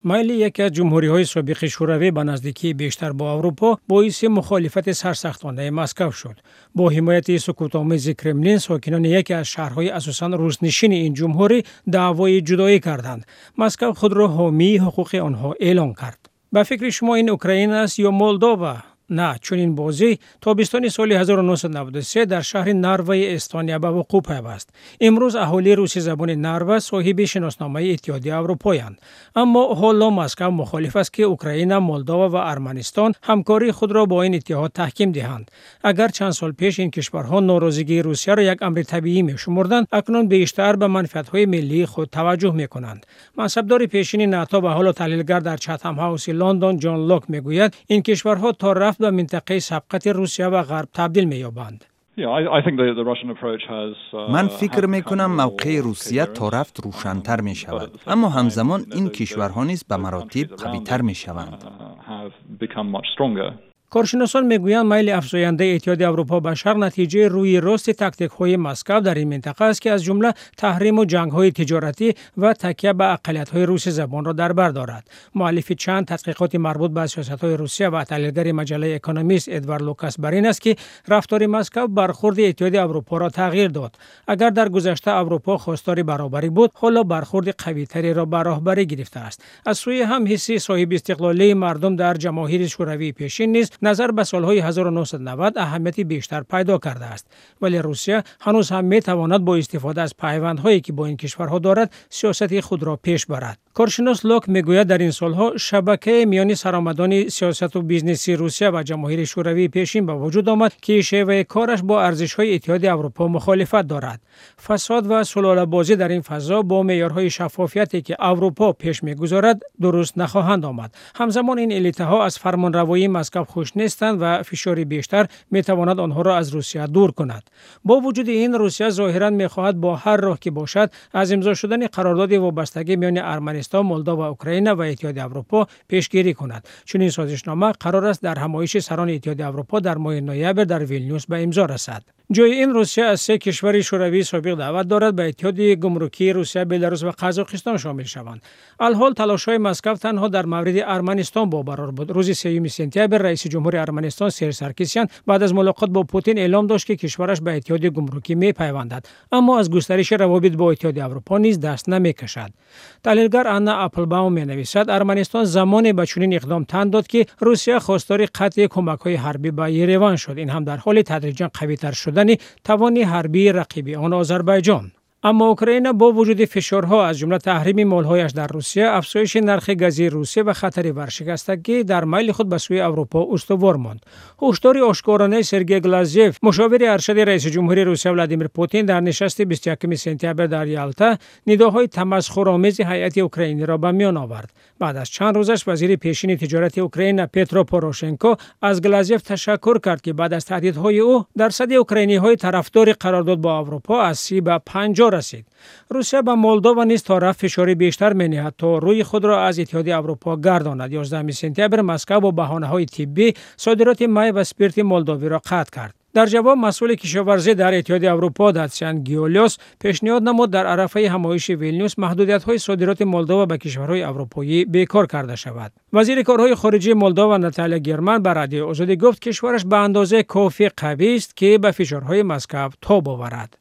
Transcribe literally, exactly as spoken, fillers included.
Майли яке аз ҷумҳуриҳои собиқи Шӯравӣ ба наздикии бештар бо Аврупо боиси мухолифати сарсахтонаи Москав шуд. Бо ҳимояти сукутомези Кремлин, сокинони яке аз шаҳрҳои асосан руснишини ин ҷумҳурӣ даъвои ҷудоӣ карданд. Москав худро ҳомии ҳуқуқи онҳо эълон кард. Ба фикри шумо, ин Украина аст ё Молдова? На, чунин бозӣ тобистони соли ҳазору нӯҳсаду наваду се дар шаҳри Нарваи Эстония ба вуқӯъ пайваст. Имрӯз аҳолии русизабони Нарва соҳиби шиносномаи Иттиҳоди Аврупоянд. Аммо ҳоло Москав мухолиф аст, ки Украина, Молдова ва Арманистон ҳамкории худро бо ин иттиҳод таҳким диҳанд. Агар чанд сол пеш ин кишварҳо норозигии Русияро як амри табиӣ мешумурданд, акнун бештар ба манфиатҳои миллии худ таваҷҷӯҳ мекунанд. Мансабдори пешини НАТО ва ҳоло таҳлилгар дар Чатам Ҳауси Лондон Ҷон Лок мегӯяд, ин кишварҳо то рафт ба минтақаи сабқати Русия ва Ғарб табдил меёбанд. Ман фикр мекунам, мавқеи Русия то рафт рӯшантар мешавад, аммо ҳамзамон ин кишварҳо низ ба маротиб қавитар мешаванд. Коршиносон мегӯянд, майли афзояндаи Иттиҳоди Аврупо ба шарқ натиҷаи рӯи рости тактикҳои Москав дар ин минтақа аст, ки аз ҷумла таҳриму ҷангҳои тиҷоратӣ ва такя ба ақаллиятҳои русизабонро дар бар дорад. Муаллифи чанд тадқиқоти марбут ба сиёсатҳои Русия ва таҳлилгари маҷаллаи Экономист Эдвард Лукас бар ин аст, ки рафтори Москав бархурди Иттиҳоди Аврупоро тағйир дод. Агар дар гузашта Аврупо хостори баробарӣ буд, ҳоло бархурди қавитареро ба роҳбарӣ гирифтааст. Аз сӯи ҳам, ҳисси соҳибистиқлолии мардум дар ҷамоҳири шӯравии пешин низ назар ба солҳои ҳазору нӯҳсаду навад аҳамияти бештар пайдо кардааст. Вале Русия ҳанӯз ҳам метавонад бо истифода аз пайвандҳое, ки бо ин кишварҳо дорад, сиёсати худро пеш барад. Коршинос Лок мегӯяд, дар ин солҳо шабакаи миёни саромадони сиёсату бизнеси Русия ва ҷамоҳири шӯравии пешин ба вуҷуд омад, ки шеваи кораш бо арзишҳои Иттиҳоди Аврупо мухолифат дорад. Фасод ва сулолабозӣ дар ин фазо бо меъёрҳои шаффофияте, ки Аврупо пеш мегузорад, дуруст нахоҳанд омад. Ҳамзамон ин элитаҳо аз фармонравоии Москав хуш нестанд ва фишори бештар метавонад онҳоро аз Русия дур кунад. Бо вуҷуди ин, Русия зоҳиран мехоҳад бо ҳар роҳ ки бошад аз имзо шудани қарордоди вобастагӣ миёни Арманистон, Молдова, Украина ва Иттиҳоди Аврупо пешгирӣ кунад. Чунин созишнома қарор аст дар ҳамоиши сарони Иттиҳоди Аврупо дар моҳи ноябр дар Вилнюс ба имзо расад. Ҷои ин Русия аз се кишвари шӯравии собиқ даъват дорад ба иттиҳоди гумрукии Русия, Беларус ва Қазоқистон шомил шаванд. Алҳол талошҳои Москав танҳо дар мавриди Арманистон бобарор буд. Рӯзи сеюми сентябр раиси ҷумҳури Арманистон Серж Саркисян баъд аз мулоқот бо Путин эълом дошт, ки кишвараш ба иттиҳоди гумрукӣ мепайвандад, аммо аз густариши равобит бо Иттиҳоди Аврупо низ даст намекашад. Таҳлилгар Анна Аплбаум менависад, Арманистон замоне ба чунин иқдом тан дод, ки Русия хостори қатъи кӯмакҳои ҳарбӣ ба Ереван шуд, ин ҳам дар ҳоли тадриҷан қавитар шудани тавони ҳарбии рақиби он, Озарбойҷон. Аммо Украина бо вуҷуди фишорҳо, аз ҷумла таҳрими молҳояш дар Русия, афзоиши нархи гази Русия ва хатари варшикастагӣ, дар майли худ ба сӯи Аврупо устувор монд. Ҳушдори ошкоронаи Сергей Глазьев, мушовири аршади раиси ҷумҳури Русия Владимир Путин, дар нишасти бисту якуми сентябр дар Ялта нидоҳои тамасхуромези ҳайати украиниро ба миён овард. Баъд аз чанд рӯзаш вазири пешини тиҷорати Украина Петро Порошенко аз Глазьев ташаккур кард, ки баъд аз таҳдидҳои ӯ дарсади украиниҳои тарафдори қарордод бо Аврупо аз си ба панҷоҳ расид. Русия ба Молдова низ то рафт фишори бештар менеҳад, то рӯи худро аз Иттиҳоди Аврупо гардонад. ёздаҳуми сентябр Москав бо баҳонаҳои тиббӣ содироти май ва спирти молдовиро қатъ кард. Дар ҷавоб масъули кишоварзӣ дар Иттиҳоди Аврупо Датсиан Гиолиос пешниҳод намуд, дар арафаи ҳамоиши Вилнюс маҳдудиятҳои содироти Молдова ба кишварҳои аврупоӣ бекор карда шавад. Вазири корҳои хориҷии Молдова Наталия Герман ба Радиои Озодӣ гуфт, кишвараш ба андозаи кофӣ қавист, ки ба фишорҳои Москав тоб оварад.